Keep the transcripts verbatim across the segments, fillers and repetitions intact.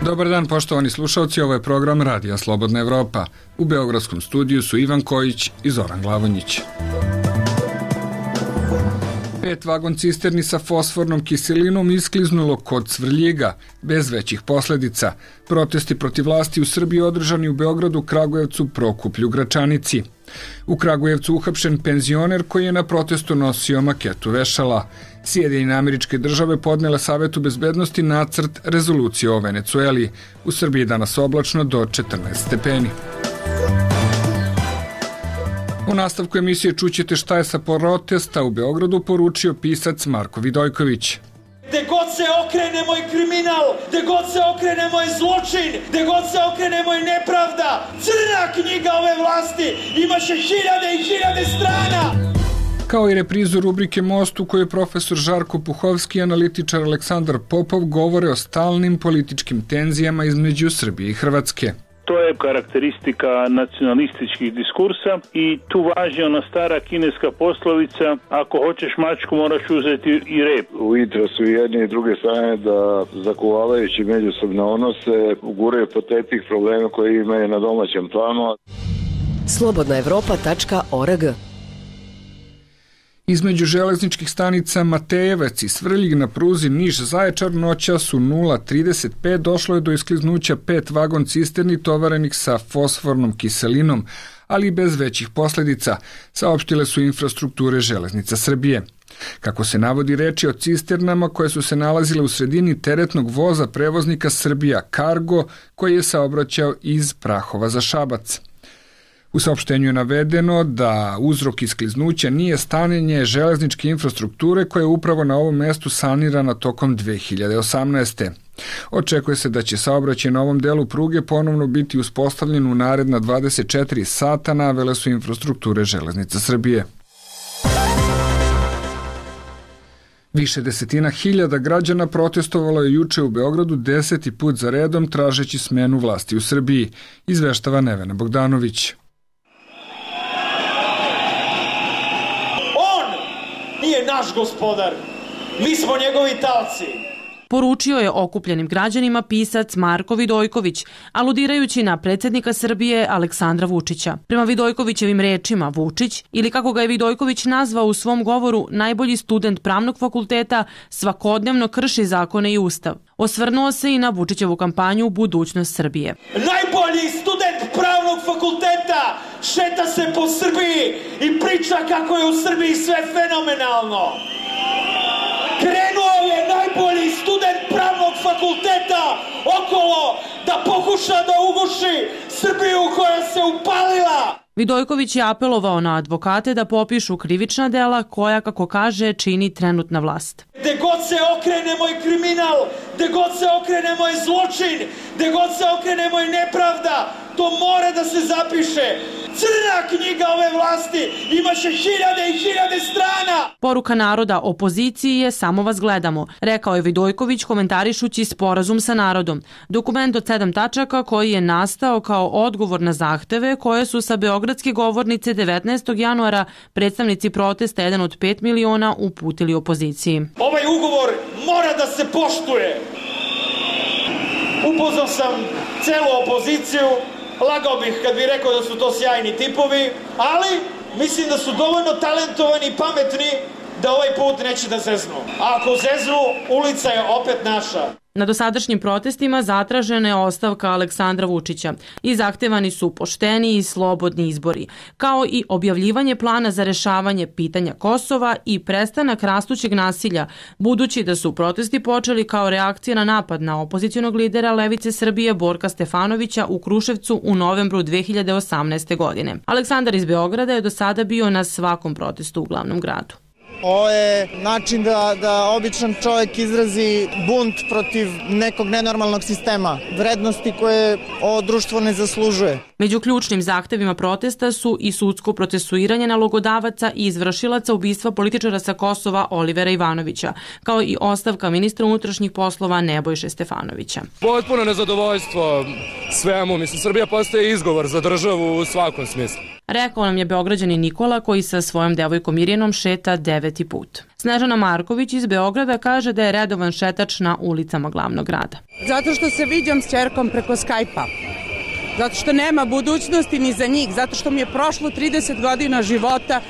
Dobar dan, poštovani slušalci, ovo je program Radija Slobodna Evropa. U beogradskom studiju su Ivan Kojić i Zoran Glavonjić. Pet vagon cisterni sa fosfornom kiselinom iskliznulo kod Svrljiga, bez većih posledica. Protesti protiv vlasti u Srbiji održani u Beogradu, Kragujevcu, Prokuplju, Gračanici. U Kragujevcu uhapšen penzioner koji je na protestu nosio maketu vešala. Sjedinjene Američke Države podnele Savetu bezbednosti nacrt rezolucije o Venecueli. U Srbiji danas oblačno do četrnaest stepeni. U nastavku emisije čućete šta je sa protesta u Beogradu poručio pisac Marko Vidojković. Gde god se okrene moj kriminal, gde god se okrene moj zločin, gde god se okrene moj nepravda, crna knjiga ove vlasti imaće hiljade i hiljade strana. Kao i reprizu rubrike Most u kojoj profesor Žarko Puhovski i analitičar Aleksandar Popov govore o stalnim političkim tenzijama između Srbije i Hrvatske. To je karakteristika nacionalističkih diskursa i tu važi ona stara kineska poslovica: ako hoćeš mačku moraš uzeti i rep. U interesu jedne i druge strane da zakuvavajući međusobne odnose uguraju po tepih problema koje imaju na domaćem planu. slobodna evropa tačka org. Između železničkih stanica Matejevac i Svrljig na pruzi Niš-Zaječar noćas u nula trideset pet došlo je do iskliznuća pet vagon cisterni tovarenih sa fosfornom kiselinom, ali bez većih posledica, saopštile su infrastrukture Železnica Srbije. Kako se navodi, reč je o cisternama koje su se nalazile u sredini teretnog voza prevoznika Srbija Cargo koji je saobraćao iz Prahova za Šabac. U saopštenju je navedeno da uzrok iskliznuća nije stanjenje železničke infrastrukture koja je upravo na ovom mestu sanirana tokom dve hiljade osamnaeste. Očekuje se da će saobraćaj na ovom delu pruge ponovno biti uspostavljen u naredna dvadeset četiri sata, navele su infrastrukture Železnica Srbije. Više desetina hiljada građana protestovalo je juče u Beogradu deseti put za redom tražeći smenu vlasti u Srbiji, izveštava Nevena Bogdanović. Nije naš gospodar, mi smo njegovi taoci. Poručio je okupljenim građanima pisac Marko Vidojković, aludirajući na predsjednika Srbije Aleksandra Vučića. Prema Vidojkovićevim rečima, Vučić, ili kako ga je Vidojković nazvao u svom govoru, najbolji student pravnog fakulteta, svakodnevno krši zakone i ustav. Osvrnuo se i na Vučićevu kampanju Budućnost Srbije. Najbolji student pravnog fakulteta šeta se po Srbiji i priča kako je u Srbiji sve fenomenalno. Krenuo je najbolji student pravnog fakulteta okolo da pokuša da uguši Srbiju koja se upalila. Vidojković je apelovao na advokate da popišu krivična dela koja, kako kaže, čini trenutna vlast. Gde god se okrene moj kriminal, gde god se okrene moj zločin, gde god se okrene moj nepravda, to mora da se zapiše. Crna knjiga ove vlasti imaće hiljade i hiljade strana. Poruka naroda opoziciji je samo vas gledamo, rekao je Vidojković komentarišući sporazum sa narodom. Dokument od sedam tačaka koji je nastao kao odgovor na zahteve koje su sa beogradske govornice devetnaestog januara predstavnici protesta jedan od pet miliona uputili opoziciji. Ovaj ugovor mora da se poštuje. Upoznao sam celu opoziciju. Lagao bih kad bih rekao da su to sjajni tipovi, ali mislim da su dovoljno talentovani i pametni da ovaj put neće da zeznu. A ako zeznu, ulica je opet naša. Na dosadašnjim protestima zatražena je ostavka Aleksandra Vučića i zahtevani su pošteni i slobodni izbori, kao i objavljivanje plana za rešavanje pitanja Kosova i prestanak rastućeg nasilja, budući da su protesti počeli kao reakcija na napad na opozicionog lidera Levice Srbije Borka Stefanovića u Kruševcu u novembru dve hiljade osamnaeste. godine. Aleksandar iz Beograda je do sada bio na svakom protestu u glavnom gradu. Ovo je način da, da običan čovjek izrazi bunt protiv nekog nenormalnog sistema, vrednosti koje ovo društvo ne zaslužuje. Među ključnim zahtevima protesta su i sudsko procesuiranje nalogodavaca i izvršilaca ubistva političara sa Kosova Olivera Ivanovića, kao i ostavka ministra unutrašnjih poslova Nebojše Stefanovića. Potpuno nezadovoljstvo svemu. Mislim, Srbija postaje izgovor za državu u svakom smislu. Rekao nam je Beograđanin Nikola koji sa svojom devojkom Mirjanom šeta deveti put. Snežana Marković iz Beograda kaže da je redovan šetač na ulicama glavnog grada. Zato što se viđam s ćerkom preko Skype-a. Zato što nema budućnosti ni za njih. Zato što mi je prošlo trideset godina života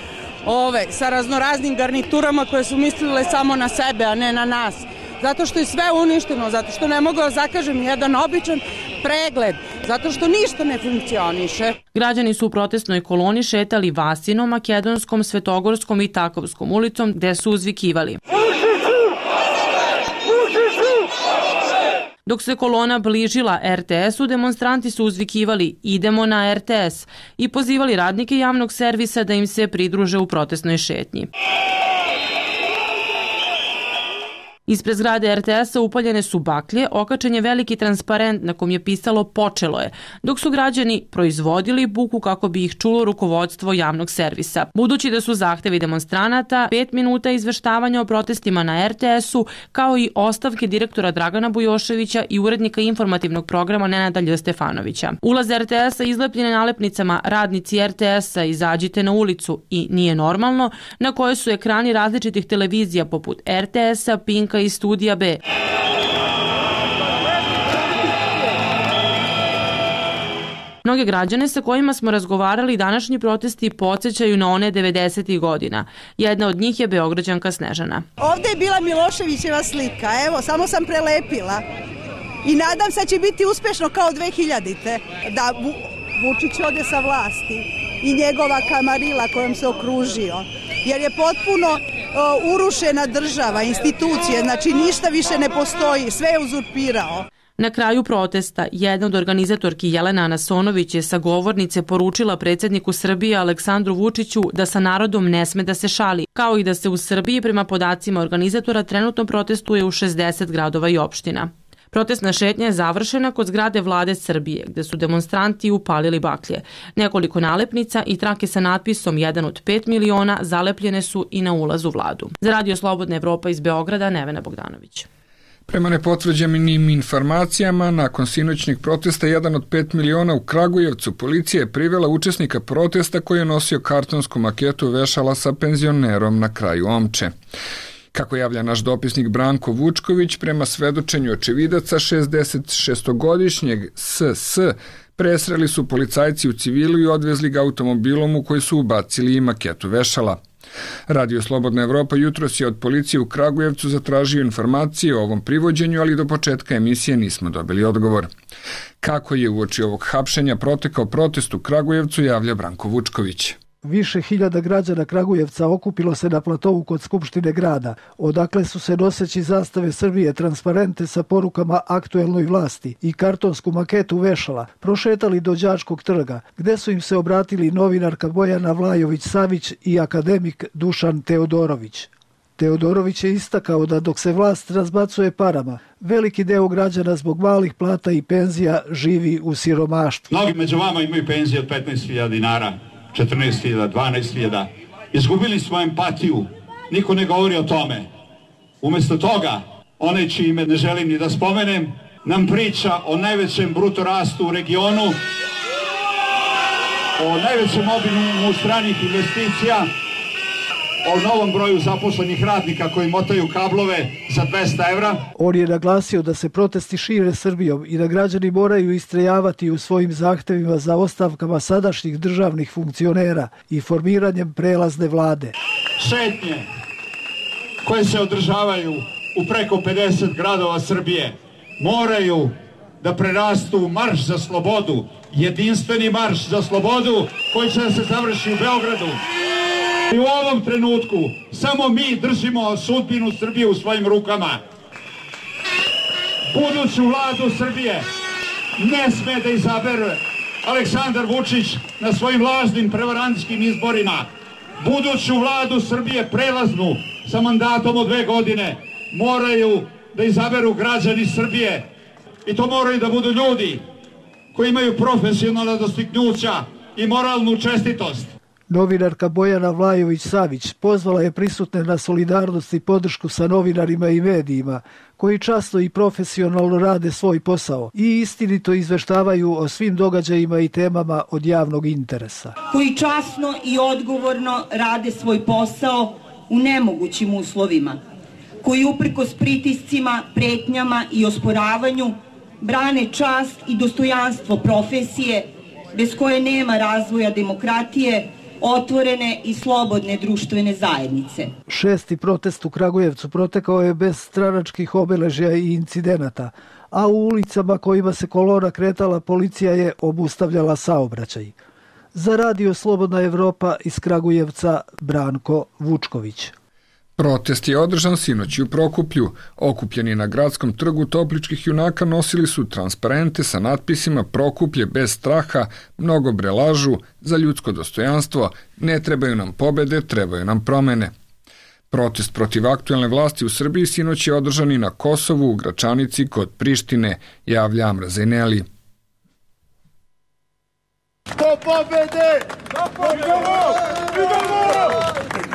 ove, sa raznoraznim garniturama koje su mislile samo na sebe, a ne na nas. Zato što je sve uništeno, zato što ne mogu da zakažem jedan običan pregled, zato što ništa ne funkcioniše. Građani su u protestnoj koloni šetali Vasinom, Makedonskom, Svetogorskom i Takovskom ulicom gde su uzvikivali. Dok se kolona bližila er te esu, demonstranti su uzvikivali idemo na er te es i pozivali radnike javnog servisa da im se pridruže u protestnoj šetnji. Ispred zgrade er te esa upaljene su baklje, okačen je veliki transparent na kom je pisalo počelo je, dok su građani proizvodili buku kako bi ih čulo rukovodstvo javnog servisa. Budući da su zahtevi demonstranata pet minuta izveštavanja o protestima na er te esu, kao i ostavke direktora Dragana Bujoševića i urednika informativnog programa Nenada Lj. Stefanovića. Ulaz er te esa izlepljen je nalepnicama radnici er te esa izađite na ulicu i nije normalno, na kojoj su ekrani različitih televizija poput er te esa, Pinka i Studija B. Mnoge građane sa kojima smo razgovarali današnji protesti podsjećaju na one devedesetih godina. Jedna od njih je Beograđanka Snežana. Ovde je bila Miloševićeva slika, evo, samo sam prelepila. I nadam se da će biti uspešno kao dve hiljadite. Da Vučić ode sa vlasti i njegova kamarila kojom se okružio. Jer je potpuno uh, urušena država, institucije, znači ništa više ne postoji, sve je uzurpirao. Na kraju protesta, jedna od organizatorki Jelena Anasonović je sa govornice poručila predsjedniku Srbije Aleksandru Vučiću da sa narodom ne sme da se šali, kao i da se u Srbiji prema podacima organizatora trenutno protestuje u šezdeset gradova i opština. Protestna šetnja je završena kod zgrade vlade Srbije, gde su demonstranti upalili baklje. Nekoliko nalepnica i trake sa natpisom jedan od pet miliona zalepljene su i na ulazu vladu. Za Radio Slobodna Evropa iz Beograda, Nevena Bogdanović. Prema nepotvrđenim informacijama, nakon sinoćnih protesta jedan od pet miliona u Kragujevcu, policija je privela učesnika protesta koji je nosio kartonsku maketu vešala sa penzionerom na kraju omče. Kako javlja naš dopisnik Branko Vučković, prema svedočenju očevidaca šezdesetšestogodišnjeg S S presreli su policajci u civilu i odvezli ga automobilom u koji su ubacili i maketu vešala. Radio Slobodna Evropa jutros je od policije u Kragujevcu zatražio informacije o ovom privođenju, ali do početka emisije nismo dobili odgovor. Kako je uoči ovog hapšenja protekao protest u Kragujevcu, javlja Branko Vučković. Više hiljada građana Kragujevca okupilo se na platovu kod Skupštine grada, odakle su se noseći zastave Srbije transparente sa porukama aktuelnoj vlasti i kartonsku maketu vešala prošetali do Đačkog trga, gde su im se obratili novinarka Bojana Vlajović-Savić i akademik Dušan Teodorović. Teodorović je istakao da dok se vlast razbacuje parama, veliki deo građana zbog malih plata i penzija živi u siromaštvu. Mnogi među vama imaju penzije od petnaest hiljada dinara. četrnaest hiljada, dvanaest hiljada. Izgubili smo empatiju. Niko ne govori o tome. Umesto toga, onaj čije ime ne želim ni da spomenem, nam priča o najvećem bruto rastu u regionu, o najvećem obimu stranih investicija, o novom broju zaposlenih radnika koji motaju kablove za dvesta evra. On je naglasio da se protesti šire Srbijom i da građani moraju istrajavati u svojim zahtevima za ostavkama sadašnjih državnih funkcionera i formiranjem prelazne vlade. Šetnje koje se održavaju u preko pedeset gradova Srbije moraju da prerastu u marš za slobodu, jedinstveni marš za slobodu koji će da se završi u Beogradu. I u ovom trenutku samo mi držimo sudbinu Srbije u svojim rukama. Buduću vladu Srbije ne sme da izabere Aleksandar Vučić na svojim lažnim prevarantskim izborima. Buduću vladu Srbije prelaznu sa mandatom od dve godine moraju da izaberu građani Srbije. I to moraju da budu ljudi koji imaju profesionalna dostignuća i moralnu čestitost. Novinarka Bojana Vlajović-Savić pozvala je prisutne na solidarnost i podršku sa novinarima i medijima, koji časno i profesionalno rade svoj posao i istinito izveštavaju o svim događajima i temama od javnog interesa. Koji časno i odgovorno rade svoj posao u nemogućim uslovima, koji uprkos pritiscima, pretnjama i osporavanju brane čast i dostojanstvo profesije, bez koje nema razvoja demokratije, otvorene i slobodne društvene zajednice. Šesti protest u Kragujevcu protekao je bez stranačkih obeležja i incidenata, a u ulicama kojima se kolona kretala policija je obustavljala saobraćaj. Za Radio Slobodna Evropa iz Kragujevca Branko Vučković. Protest je održan sinoć u Prokuplju. Okupljeni na gradskom trgu Topličkih junaka nosili su transparente sa natpisima Prokuplje bez straha, mnogobre lažu, za ljudsko dostojanstvo, ne trebaju nam pobede, trebaju nam promene. Protest protiv aktuelne vlasti u Srbiji sinoć je održan i na Kosovu, u Gračanici, kod Prištine, javlja Amra Zajneli. Do pobede! Do pobede!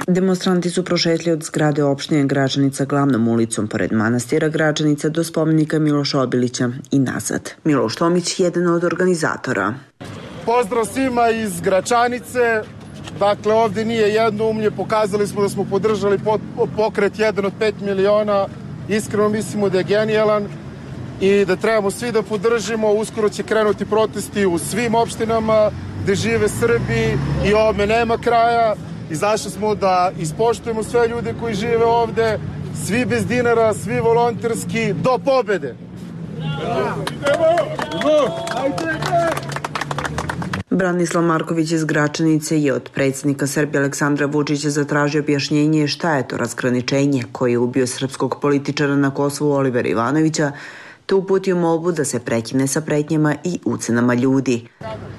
Demonstranti su prošetli od zgrade opštine Gračanica glavnom ulicom pored manastira Gračanica do spomenika Miloša Obilića i nazad. Miloš Tomić, jedan od organizatora. Pozdrav svima iz Gračanice. Dakle, ovdje nije jednoumlje, pokazali smo da smo podržali pokret jedan od pet miliona. Iskreno mislimo da je genijalan i da trebamo svi da podržimo. Uskoro će krenuti protesti u svim opštinama gde žive Srbi i ovome nema kraja. Izašli smo da ispoštujemo sve ljude koji žive ovde, svi bez dinara, svi volonterski, do pobede! Branislav Marković iz Gračanice je od predsjednika Srbije Aleksandra Vučića zatražio objašnjenje šta je to razgraničenje koje je ubio srpskog političara na Kosovu Olivera Ivanovića, te uputio molbu da se prekine sa pretnjama i ucenama ljudi.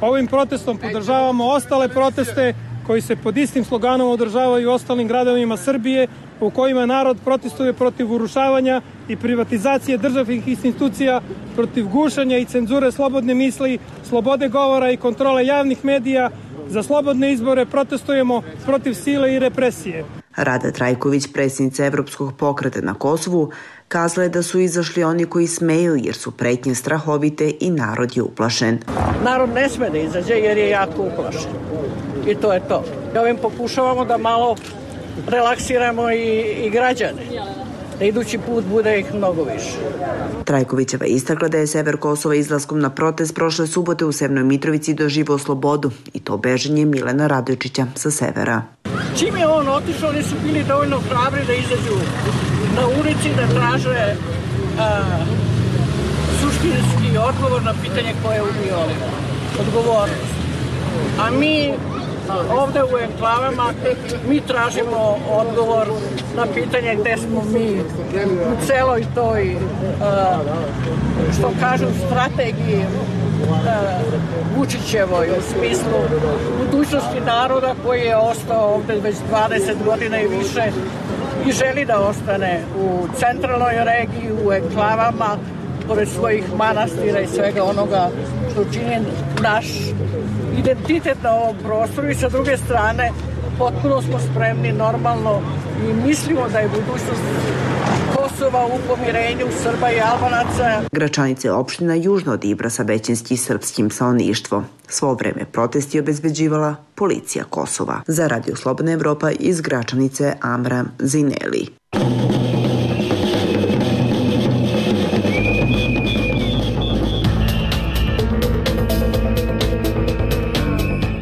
Ovim protestom podržavamo ostale proteste koji se pod istim sloganom održavaju u ostalim gradovima Srbije, u kojima narod protestuje protiv urušavanja i privatizacije državnih institucija, protiv gušanja i cenzure slobodne misli, slobode govora i kontrole javnih medija. Za slobodne izbore protestujemo protiv sile i represije. Rada Trajković, predsjednica Evropskog pokreta na Kosovu, kazala je da su izašli oni koji smeju jer su pretnje strahovite i narod je uplašen. Narod ne sme da izađe jer je jako uplašen. I to je to. Ovim pokušavamo da malo relaksiramo i, i građane. Da idući put bude ih mnogo više. Trajkovićeva istakla da je sever Kosova izlaskom na protest prošle subote u Severnoj Mitrovici doživao slobodu i to beženje Milena Radojčića sa severa. Čim je on otišao, oni su bili dovoljno hrabri da izađu na ulici, da traže a, suštinski odgovor na pitanje koje je ubio odgovornost. A mi ovde u enklavama mi tražimo odgovor na pitanje gde smo mi u celoj toj, što kažu, strategiji Vučićevoj u smislu budućnosti naroda koji je ostao ovde već dvadeset godina i više i želi da ostane u centralnoj regiji, u enklavama, pored svojih manastira i svega onoga što čini naš identitet na ovom prostoru i sa druge strane potpuno smo spremni normalno i mislimo da je budućnost Kosova u pomirenju Srba i Albanaca. Gračanica je opština južno od Ibra sa većinski srpskim stanovništvom. Svo vreme protesti obezbeđivala policija Kosova. Za Radio Slobodna Evropa iz Gračanice Amra Zajneli.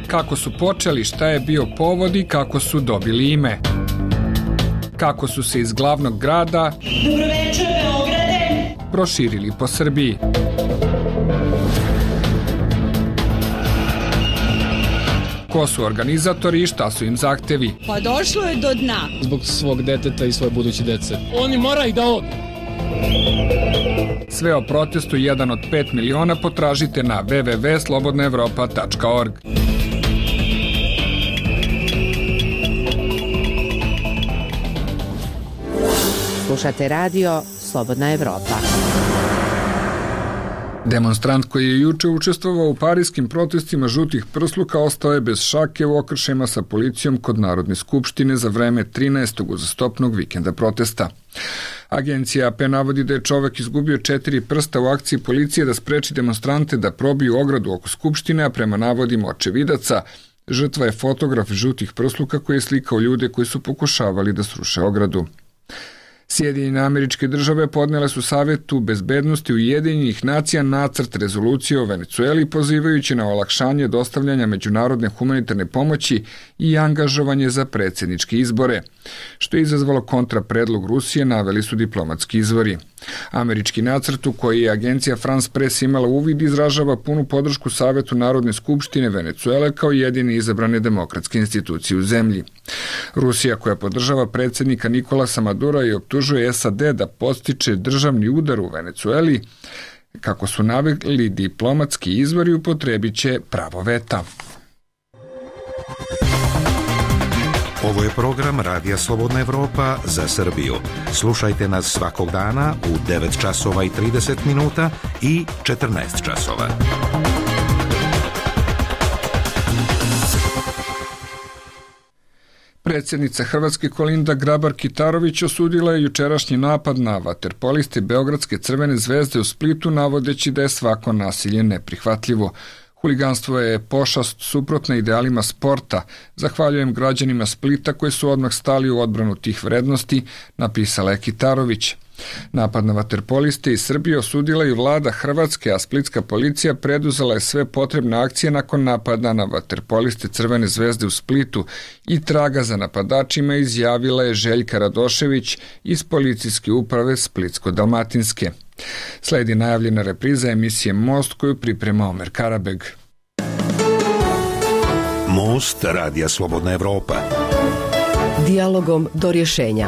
Kako su počeli, šta je bio povod i kako su dobili ime. Kako su se iz glavnog grada Dobroveče, Beograde proširili po Srbiji. Ko su organizatori i šta su im zahtevi? Pa došlo je do dna. Zbog svog deteta i svoje buduće dece. Oni moraju da odu. Sve o protestu jedan od pet miliona potražite na w w w tačka slobodna evropa tačka org. Slušate radio Slobodna Evropa. Demonstrant koji je juče učestvovao u parijskim protestima žutih prsluka ostao je bez šake u okršajima sa policijom kod Narodne skupštine za vreme trinaestog uzastopnog vikenda protesta. Agencija A P navodi da je čovek izgubio četiri prsta u akciji policije da spreči demonstrante da probiju ogradu oko skupštine, a prema navodima očevidaca, žrtva je fotograf žutih prsluka koji je slikao ljude koji su pokušavali da sruše ogradu. Sjedinjene Američke Države podnele su Savetu bezbednosti Ujedinjenih nacija nacrt rezolucije o Venecueli pozivajući na olakšanje dostavljanja međunarodne humanitarne pomoći i angažovanje za predsjedničke izbore, što je izazvalo kontrapredlog Rusije, naveli su diplomatski izvori. Američki nacrt u koji je agencija France Press imala uvid izražava punu podršku Savetu Narodne skupštine Venecuele kao jedine izabrane demokratske institucije u zemlji. Rusija, koja podržava predsjednika Nikolasa Madura i optužuje S A D da podstiče državni udar u Venecueli, kako su naveli diplomatski izvori, upotrebit će pravo veta. Ovo je program Radija Slobodna Evropa za Srbiju. Slušajte nas svakog dana u devet časova i trideset minuta i četrnaest časova. Predsjednica Hrvatske Kolinda Grabar-Kitarović osudila je jučerašnji napad na vaterpoliste Beogradske Crvene zvezde u Splitu, navodeći da je svako nasilje neprihvatljivo. Huliganstvo je pošast suprotna idealima sporta. Zahvaljujem građanima Splita koji su odmah stali u odbranu tih vrednosti, napisala je Kitarović. Napad na vaterpoliste iz Srbije osudila i vlada Hrvatske, a splitska policija preduzela je sve potrebne akcije nakon napada na vaterpoliste Crvene zvezde u Splitu i traga za napadačima, izjavila je Željka Radošević iz policijske uprave Splitsko-Dalmatinske. Sledi najavljena repriza emisije Most koju priprema Omer Karabeg. Most Radija Slobodna Evropa. Dijalogom do rješenja.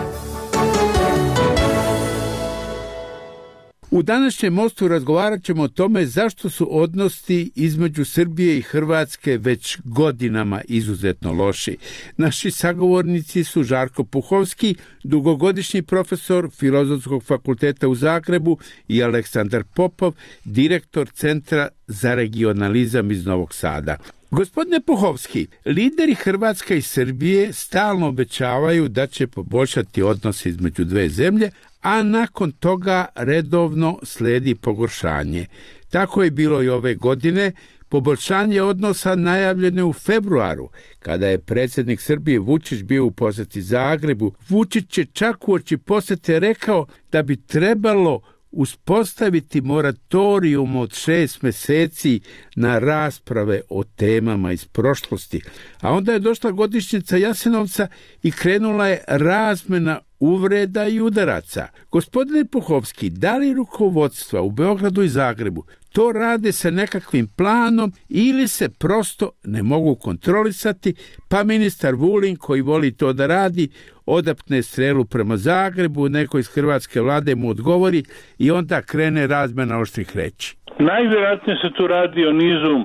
U današnjem Mostu razgovarat ćemo o tome zašto su odnosi između Srbije i Hrvatske već godinama izuzetno loši. Naši sagovornici su Žarko Puhovski, dugogodišnji profesor Filozofskog fakulteta u Zagrebu, i Aleksandar Popov, direktor Centra za regionalizam iz Novog Sada. Gospodine Puhovski, lideri Hrvatske i Srbije stalno obećavaju da će poboljšati odnose između dve zemlje, a nakon toga redovno sledi pogoršanje. Tako je bilo i ove godine. Poboljšanje odnosa najavljeno je u februaru, kada je predsjednik Srbije Vučić bio u posjeti Zagrebu. Vučić je čak uoči posjete rekao da bi trebalo uspostaviti moratorium od šest mjeseci na rasprave o temama iz prošlosti. A onda je došla godišnjica Jasenovca i krenula je razmjena uvreda i udaraca. Gospodine Puhovski, da li rukovodstva u Beogradu i Zagrebu to rade sa nekakvim planom ili se prosto ne mogu kontrolisati, pa ministar Vulin, koji voli to da radi, odapne strelu prema Zagrebu, neko iz hrvatske vlade mu odgovori i onda krene razmjena oštrih reči? Najvjerojatnije se tu radi o nizu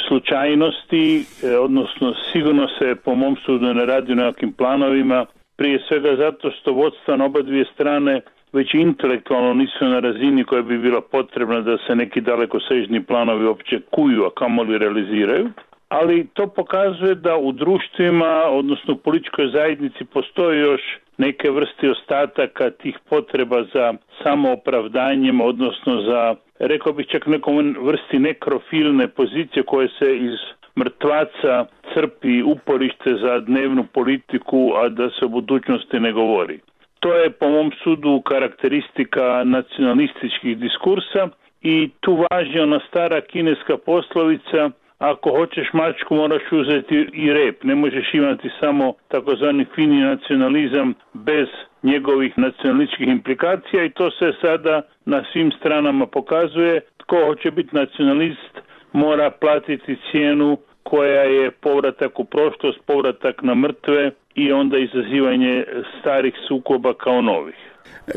slučajnosti, odnosno sigurno se po mom sudu ne radi o nekakvim planovima, prije svega zato što vodstva na oba dvije strane već intelektualno nisu na razini koja bi bila potrebna da se neki dalekosežni planovi uopće kuju, a kamoli realiziraju. Ali to pokazuje da u društvima, odnosno u političkoj zajednici, postoji još neke vrste ostataka tih potreba za samoopravdanjem, odnosno za, rekao bih čak nekom vrsti nekrofilne pozicije koje se iz mrtvaca crpi uporište za dnevnu politiku, a da se o budućnosti ne govori. To je po mom sudu karakteristika nacionalističkih diskursa i tu važi ona stara kineska poslovica: ako hoćeš mačku moraš uzeti i rep, ne možeš imati samo takozvani fini nacionalizam bez njegovih nacionalističkih implikacija, i to se sada na svim stranama pokazuje. Tko hoće biti nacionalist mora platiti cijenu koja je povratak u prošlost, povratak na mrtve i onda izazivanje starih sukoba kao novih.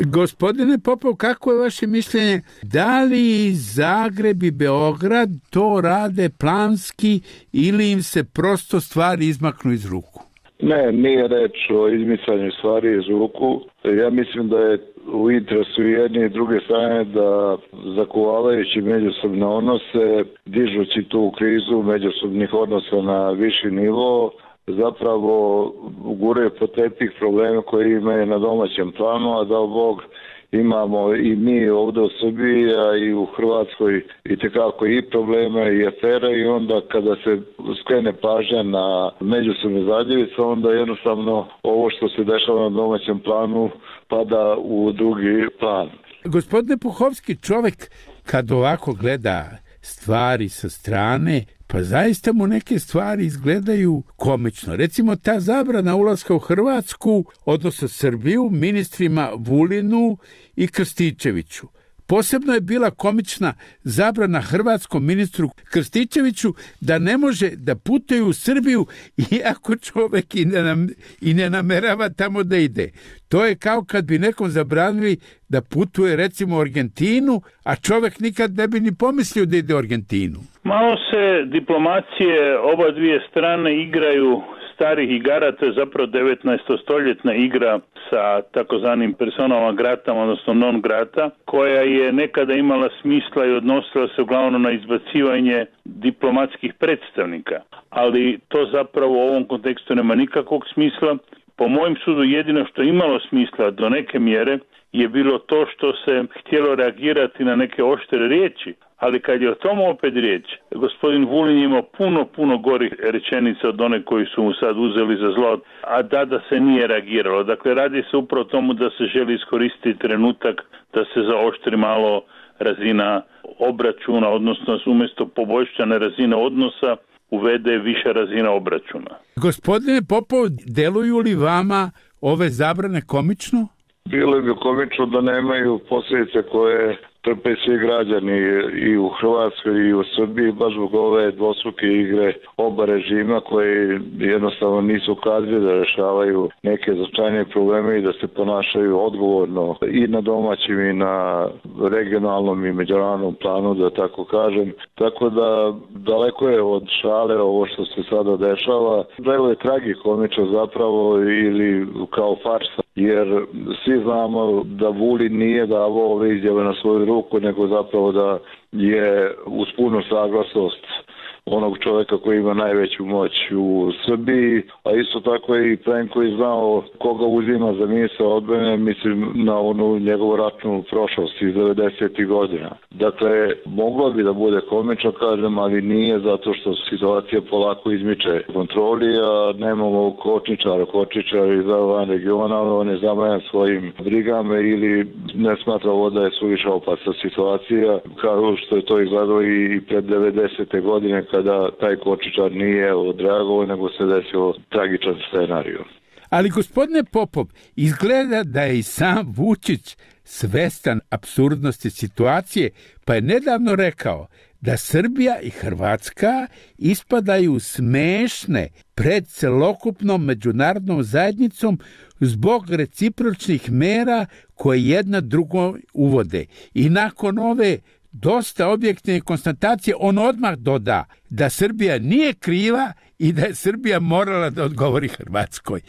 Gospodine Popov, kako je vaše mišljenje? Da li Zagreb i Beograd to rade planski ili im se prosto stvari izmaknu iz ruku? Ne, nije reč o izmicanju stvari iz ruku. Ja mislim da je u interesu jedne i druge strane da zakuvavajući međusobne odnose, dižući tu krizu međusobnih odnosa na viši nivo, zapravo guraju po tepih probleme koje imaju na domaćem planu, a da Bog imamo i mi ovdje u Srbiji, a i u Hrvatskoj i tekako i probleme i afere, i onda kada se skrene pažnja na međusobne zadjevice, onda jednostavno ovo što se dešava na domaćem planu pada u drugi plan. Gospodine Puhovski, čovjek kad ovako gleda stvari sa strane, pa zaista mu neke stvari izgledaju komično. Recimo ta zabrana ulaska u Hrvatsku, odnosno Srbiju, ministrima Vulinu i Krstičeviću. Posebno je bila komična zabrana hrvatskom ministru Krstičeviću da ne može da putuje u Srbiju iako čovjek i ne, nam, i ne namerava tamo da ide. To je kao kad bi nekom zabranili da putuje recimo u Argentinu, a čovjek nikad ne bi ni pomislio da ide u Argentinu. Malo se diplomacije oba dvije strane igraju starih igara, to je zapravo devetnaestostoljetna igra sa takozvanim personama gratama, odnosno non grata, koja je nekada imala smisla i odnosila se uglavnom na izbacivanje diplomatskih predstavnika. Ali to zapravo u ovom kontekstu nema nikakvog smisla. Po mojem sudu jedino što je imalo smisla do neke mjere je bilo to što se htjelo reagirati na neke oštre riječi. Ali kad je o tom opet riječ, gospodin Vulin imao puno, puno gorih rečenica od one koji su mu sad uzeli za zlo, a da, da se nije reagiralo. Dakle, radi se upravo o tomu da se želi iskoristiti trenutak da se zaoštri malo razina obračuna, odnosno umjesto poboljšane razine odnosa uvede više razina obračuna. Gospodine Popov, deluju li vama ove zabrane komično? Bilo bi komično da nemaju posljedice koje trpe svi građani i u Hrvatskoj i u Srbiji, baš zbog ove dvostruke igre oba režima koji jednostavno nisu kadri da rešavaju neke značajnije probleme i da se ponašaju odgovorno i na domaćim i na regionalnom i međunarodnom planu, da tako kažem. Tako da daleko je od šale ovo što se sada dešava. Delo je tragikomično zapravo ili kao farsa, jer svi znamo da Vulin nije davao ove izjave na svoju ruku, nego zapravo da je uz punu saglasnost onog čovjeka koji ima najveću moć u Srbiji, a isto tako je i Plenković znao koga uzima za ministra odbrane, mislim na onu njegovu ratnu prošlost iz devedesetih godina. Dakle, moglo bi da bude komično, kažem, ali nije, zato što situacija polako izmiče kontroli, a nemamo kočničara, kočničar iz van regiona, on je zamajan svojim brigama ili ne smatra ovo da je suviše opasna situacija, kao što je to izgledalo i pred devedesete godine, kada taj kočičar nije odreagovao, nego se desio tragičan scenarij. Ali gospodine Popov, izgleda da je i sam Vučić svestan apsurdnosti situacije, pa je nedavno rekao da Srbija i Hrvatska ispadaju smešne pred celokupnom međunarodnom zajednicom zbog recipročnih mera koje jedna drugo uvode. I nakon ove dosta objektivne konstatacije, on odmah doda da Srbija nije kriva i da je Srbija morala da odgovori Hrvatskoj.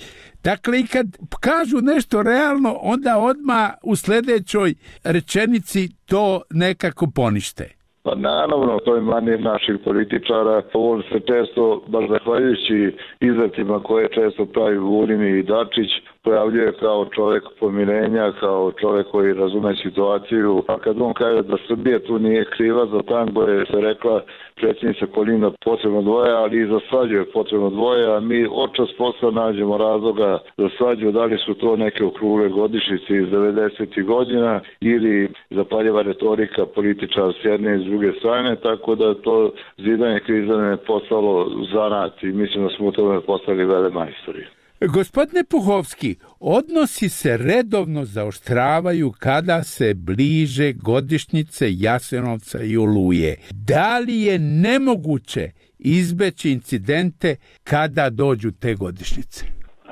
Dakle, i kad kažu nešto realno, onda odmah u sljedećoj rečenici to nekako ponište. Pa naravno, to je manir naših političara. On se često, baš zahvaljujući izletima koje često pravi Vulin i Dačić, pojavljuje kao čovjek pomirenja, kao čovjek koji razume situaciju. A kad on kaže da Srbija tu nije kriva za tango, je se rekla predsjednica Kolinda potrebno dvoje, ali i za svađu je potrebno dvoje, a mi očas posla nađemo razloga za svađu, da li su to neke okrugle godišnjice iz devedesetih godina ili zapaljeva retorika političara s jedne i s druge strane, tako da to zidanje krizane je postalo zanat i mislim da smo u tome postali vele majstori. Gospodine Puhovski, odnosi se redovno zaoštravaju kada se bliže godišnjice Jasenovca i Oluje. Da li je nemoguće izbeći incidente kada dođu te godišnjice?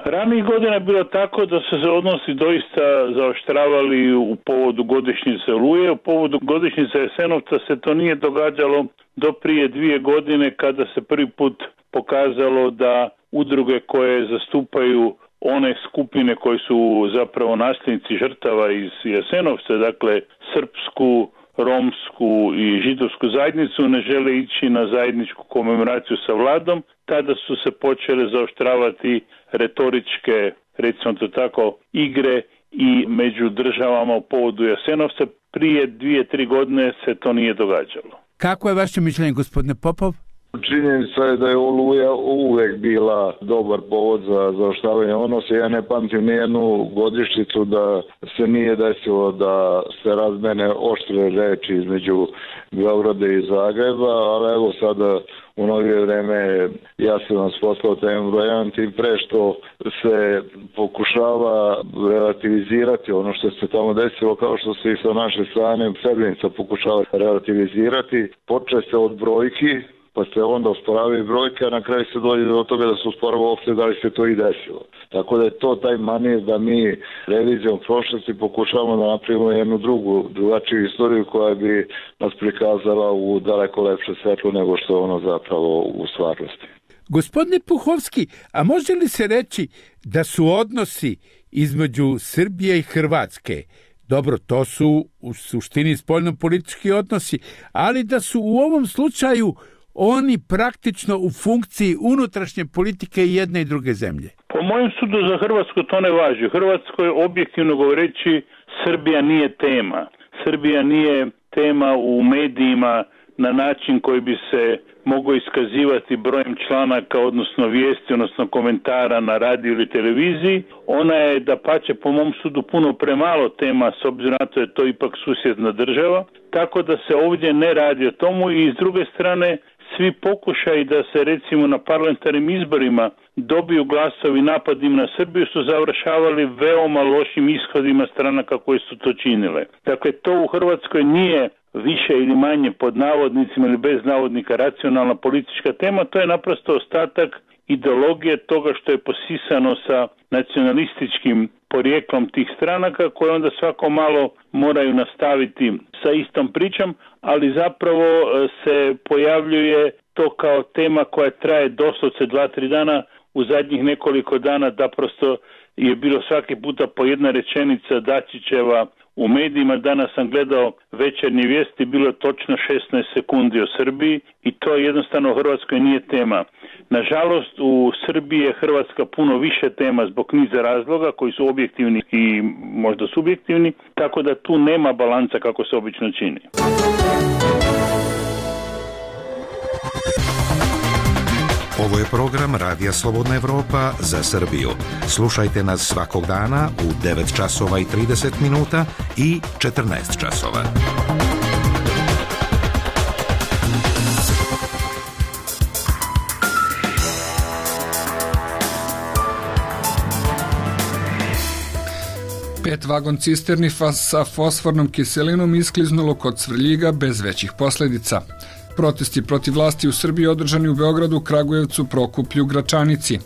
Ranijih godina je bilo tako da su se odnosi doista zaoštravali u povodu godišnjice Oluje. U povodu godišnjice Jasenovca se to nije događalo do prije dvije godine kada se prvi put pokazalo da udruge koje zastupaju one skupine koji su zapravo nasljednici žrtava iz Jasenovca, dakle srpsku, romsku i židovsku zajednicu, ne žele ići na zajedničku komemoraciju sa vladom. Tada su se počele zaoštravati retoričke, recimo to tako, igre i među državama u povodu Jasenovca. Prije dvije, tri godine se to nije događalo. Kako je vaše mišljenje, gospodine Popov? Činjenica je da je Oluja uvek bila dobar povod za zaoštravanje odnosa. Ja ne pamtim nijednu godišnjicu da se nije desilo da se razmene oštre reči između Beograda i Zagreba, ali evo sada u novije vreme ja sam vas poslao temu brojan, tim pre što se pokušava relativizirati ono što se tamo desilo, kao što se i sa naše strane Srebrenica pokušava relativizirati. Počne se od brojki, pa se onda usporavaju brojke, a na kraju se dođe do toga da se usporava uopšte da li se to i desilo. Tako da je to taj manir da mi revizijom prošlosti pokušavamo da napravimo jednu drugu, drugačiju istoriju koja bi nas prikazala u daleko lepše svetlo nego što je ono zapravo u stvarnosti. Gospodine Puhovski, a može li se reći da su odnosi između Srbije i Hrvatske, dobro, to su u suštini spoljno-politički odnosi, ali da su u ovom slučaju oni praktično u funkciji unutrašnje politike jedne i druge zemlje? Po mojem sudu za Hrvatsku to ne važi. U Hrvatskoj, objektivno govoreći, Srbija nije tema. Srbija nije tema u medijima na način koji bi se mogao iskazivati brojem članaka, odnosno vijesti, odnosno komentara na radiju ili televiziji. Ona je, dapače, po mom sudu puno premalo tema, s obzirom na to je to ipak susjedna država. Tako da se ovdje ne radi o tomu i s druge strane svi pokušaji da se recimo na parlamentarnim izborima dobiju glasovi napadima na Srbiju su završavali veoma lošim ishodima stranaka koje su to činile. Dakle, to u Hrvatskoj nije više ili manje pod navodnicima ili bez navodnika racionalna politička tema, to je naprosto ostatak ideologije toga što je posisano sa nacionalističkim porijeklom tih stranaka koje onda svako malo moraju nastaviti sa istom pričom, ali zapravo se pojavljuje to kao tema koja traje doslovce dva, tri dana. U zadnjih nekoliko dana da prosto je bilo svaki puta po jedna rečenica Dačićeva u medijima. Danas sam gledao večernje vijesti, bilo je točno šesnaest sekundi o Srbiji i to jednostavno u Hrvatskoj nije tema. Nažalost, u Srbiji je Hrvatska puno više tema zbog niza razloga koji su objektivni i možda subjektivni, tako da tu nema balansa kako se obično čini. Ovo je program Radija Slobodna Evropa za Srbiju. Slušajte nas svakog dana u devet časova i trideset minuta i četrnaest časova. Pet vagon cisterni sa fosfornom kiselinom iskliznulo kod Svrljiga bez većih posljedica. Protesti protiv vlasti u Srbiji održani u Beogradu, Kragujevcu, Prokuplju, Gračanici.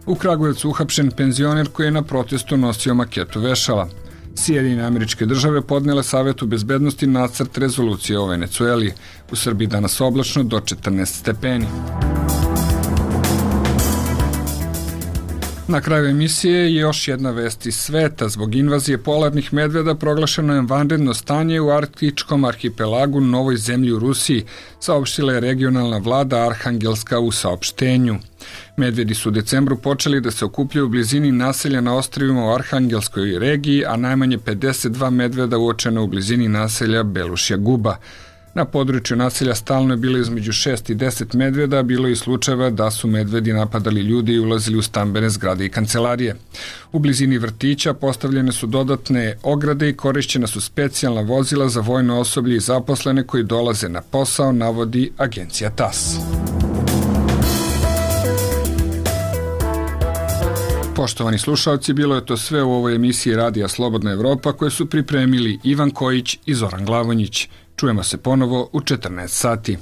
U Kragujevcu uhapšen penzioner koji je na protestu nosio maketu vešala. Sjedinjene Američke Države podnele Savetu bezbednosti nacrt rezolucije o Venecueli. U Srbiji danas oblačno do četrnaest stepeni. Na kraju emisije je još jedna vest iz sveta. Zbog invazije polarnih medveda proglašeno je vanredno stanje u arktičkom arhipelagu Novoj zemlji u Rusiji, saopštila je regionalna vlada Arhangelska u saopštenju. Medvedi su u decembru počeli da se okupljaju u blizini naselja na ostrvima u Arhangelskoj regiji, a najmanje pedeset dva medveda uočeno u blizini naselja Belušja Guba. Na području naselja stalno je bilo između šest i deset medveda, bilo je i slučajeva da su medvedi napadali ljudi i ulazili u stambene zgrade i kancelarije. U blizini vrtića postavljene su dodatne ograde i korišćena su specijalna vozila za vojno osoblje i zaposlene koji dolaze na posao, navodi agencija T A S. Poštovani slušalci, bilo je to sve u ovoj emisiji Radija Slobodna Evropa koje su pripremili Ivan Kojić i Zoran Glavonjić. Čujemo se ponovo u četrnaest sati.